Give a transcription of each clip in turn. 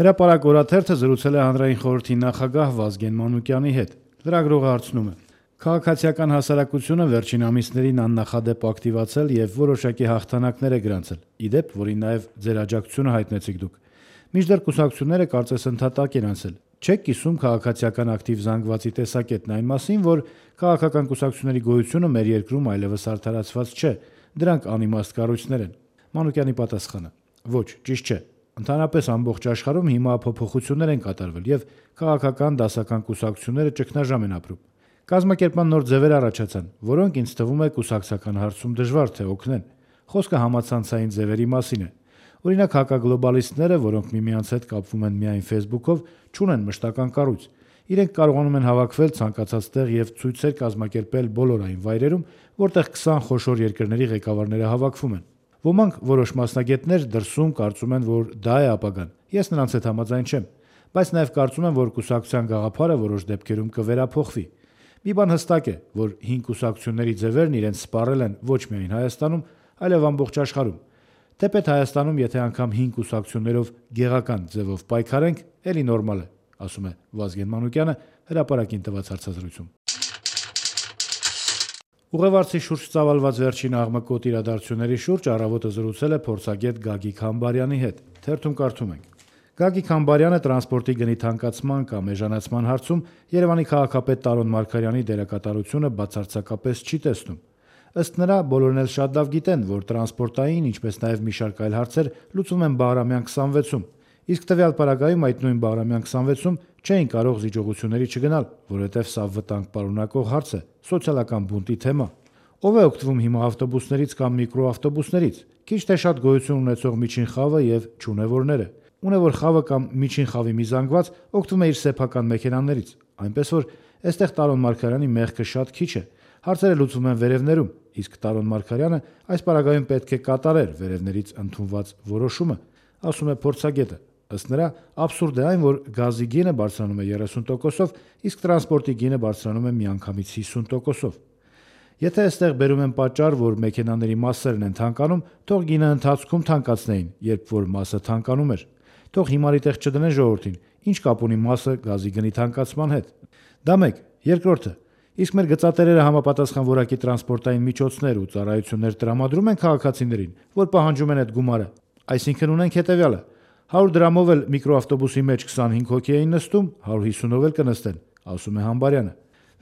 Հրապարակ օրաթերթը զրուցել է հանրային խորհրդի նախագահ Վազգեն Մանուկյանի հետ։ Լրագրողը հարցնում է. քաղաքացիական հասարակությունը վերջին ամիսներին աննախադեպ ակտիվացել եւ որոշակի հաղթանակներ է գրանցել, ի դեպ, որին նաեւ ձեր աջակցությունը հայտնեցիք դուք։ Մինչդեռ կուսակցությունները կարծես ընդհատակ են անցել։ Չեք կիսում քաղաքացիական ակտիվ զանգվածի տեսակետն այն մասին, որ քաղաքական կուսակցությունների գոյությունը մեր երկրում այլևս արդարացված չէ, դրանք անիմաստ կառույցներ են։ Մանուկյանի պատասխանը. ոչ, ճիշտ չէ։ Ընդհանրապես ամբողջ աշխարհում հիմա փոփոխություններ են կատարվել եւ քաղաքական դասական կուսակցությունները ճգնաժամ են ապրում։ Կազմակերպման նոր ձևեր առաջացան, որոնք ինձ թվում է կուսակցական հարցում դժվար թե օգնեն։ Խոսքը համացանցային ձևերի մասին է։ Օրինակ հակագլոբալիստները, որոնք միմյանց հետ կապվում են միայն Facebook-ով, չունեն մշտական կառույց։ Իրենք կարողանում են հավաքվել ցանկացած տեղ եւ ցույցեր կազմակերպել բոլոր այն վայրերում, որտեղ 20 խոշոր երկրների ղեկավարները հավաքվում են։ Ոմանք որոշ մասնագետներ դրսում կարծում են, որ դա է ապագան։ Ես նրանց հետ համաձայն չեմ, բայց նաեւ կարծում եմ, որ կուսակցության գաղափարը որոշ դեպքերում կվերափոխվի։ Մի բան հստակ է, որ հին կուսակցությունների ձևերն իրենց սպառել են ոչ միայն Հայաստանում, այլև ամբողջ աշխարհում։ Թեպետ Հայաստանում, եթե անգամ հին կուսակցություններով գեղական ձևով պայքարենք, էլի նորմալ է, ասում է Վազգեն Մանուկյանը հրապարակին տված հարցազրույցում։ Ուղևորցի շուրջ ծավալված վերջին աղմկոտ իրադարձությունների շուրջ առավոտը զրուցել է փորձագետ Գագիկ Համբարյանի հետ։ Թերթում կարդում ենք. Գագիկ Համբարյանը տրանսպորտի գնի թանկացման կամ էժանացման հարցում Երևանի քաղաքապետ Տարոն Մարգարյանի դերակատարությունը բացարձակապես չի տեսնում։ Ըստ նրա, բոլորն էլ շատ լավ գիտեն, որ տրանսպորտային, ինչպես նաև մի շարք այլ հարցեր լուծվում են Բաղրամյան 26-ում, իսկ տվյալ պարագայում այդ նույն Բաղրամյան 26-ում չէին կարող զիջողությունների չգնալ, որովհետև սա վտանգ պարունակող հարց է, սոցիալական բունտի թեմա։ Ով է օգտվում հիմա ավտոբուսներից կամ միկրոավտոբուսներից, քիչ թե շատ գոյություն ունեցող միջին խավը եւ չունևորները։ Ունևոր խավը կամ միջին խավի մի զանգված օգտվում է իր սեփական մեքենաներից, այնպես որ այստեղ Տարոն Մարգարյանի մեղքը շատ քիչ է։ Հարցերը լուծվում են վերևներում, իսկ Տարոն Մարգարյանը այս պարագայում պետք է կատարեր վերևներից ընդունված որոշումը, ասում է փորձագետը։ Ըստ նրա, абսուրդ է այն, որ գազի գինը բարձրանում է 30%-ով, իսկ տրանսպորտի գինը բարձրանում է միանգամից 50%-ով։ Եթե այստեղ բերում են պատճառ, որ մեքենաների մասերն են թանկանում, թող գինը ընթացքում թանկացնեին, երբ որ մասը թանկանում էր։ Թող հիմարի տեղ չդնեն ժողովրդին, ինչ կապ ունի մասը գազի գնի թանկացման հետ։ Դա մեկ, երկրորդը, իսկ մեր գծատերերը համապատասխան որակի տրանսպորտային միջոցներ ու ծառայություններ տրամադրում են քաղաքացիներին, որ պահանջում են այդ գումարը։ Այսինքն ունենք հետևյալը. 100 դրամով էլ միկրոավտոբուսի մեջ 25 հոգի էին նստում, 150-ով էլ կնստեն, ասում է Համբարյանը։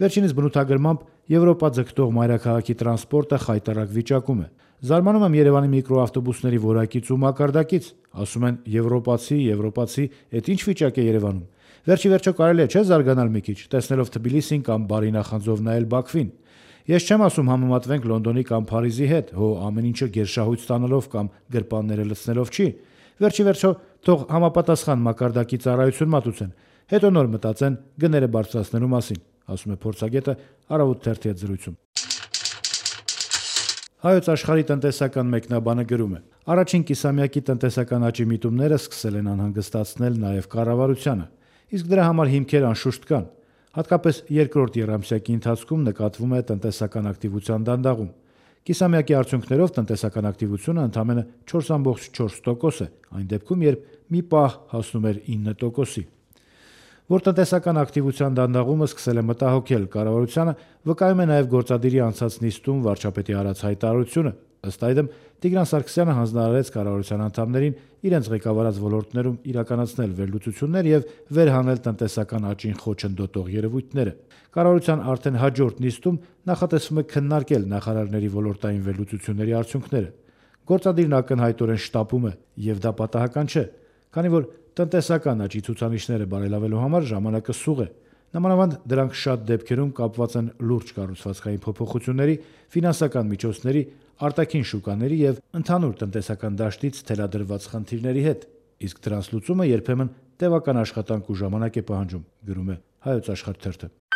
Վերջինս բնութագրմամբ Եվրոպա ձգտող մայրաքաղաքի տրանսպորտը խայտառակ վիճակում է։ Զարմանում եմ Երևանի միկրոավտոբուսների որակից ու մակարդակից, ասում են եվրոպացի, այդ ինչ վիճակ է Երևանում։ Վերջի վերջո կարելի է չէ զարգանալ մի քիչ, տեսնելով Թբիլիսին կամ բարի նախանձով նայել Բաքվին։ Ես չեմ ասում համեմատվենք Լոնդոնի կամ Փարիզի հետ, հո ամեն ինչը գերշահույց ստանալով կամ գրպանները լցնելով չի։ Վերջի վերջո թող համապատասխան մակարդակի ծառայություն մատուցեն, հետո նոր մտածեն գները բարձրացնելու մասին, ասում է փորձագետը Առավոտ թերթի հետ զրույցում։ Հայոց աշխարհի տնտեսական մեկնաբանը գրում է. առաջին կիսամյակի տնտեսական աճի միտումները սկսել են անհանգստացնել նաև կառավարությանը, իսկ դրա համար հիմքեր անշուշտ կան։ Հատկապես երկրորդ եռամսյակի ընթացքում նկատվում է տնտեսական ակտիվության դանդաղում։ Կիսամյակի արդյունքներով տնտեսական ակտիվությունը ընդամենը 4.4% է, այն դեպքում, երբ մի պահ հասնում էր 9%-ի։ Որ տնտեսական ակտիվության դանդաղումը սկսել է մտահոգել կառավարությանը, վկայում է նաև գործադիրի անցած նիստում վարչապետի արած հայտարարությունը։ Ըստ այդմ, Տիգրան Սարգսյանը հանձնարարեց կառավարության անդամներին իրենց ղեկավարած ոլորտներում իրականացնել վերլուծություններ եւ վերհանել տնտեսական աճին խոչընդոտող երևույթները։ Կառավարության արդեն հաջորդ նիստում նախատեսվում է քննարկել նախարարների ոլորտային վերլուծությունների արդյունքները։ Գործադիրն ակնհայտորեն շտապում է, եւ դա պատահական չէ, քանի որ տնտեսական աճի ցուցանիշները բարելավելու համար ժամանակը սուղ է։ Նամանավանդ դրանք շատ դեպքերում կապված են լուրջ կառուցվածքային փոփոխությունների, ֆինանսական միջոցների, արտաքին շուկաների եւ ընդհանուր տնտեսական դաշտից թելադրված խնդիրների հետ, իսկ դրանց լուծումը երբեմն տևական աշխատանք ու ժամանակ է պահանջում, գրում է Հայոց աշխարհ թերթը։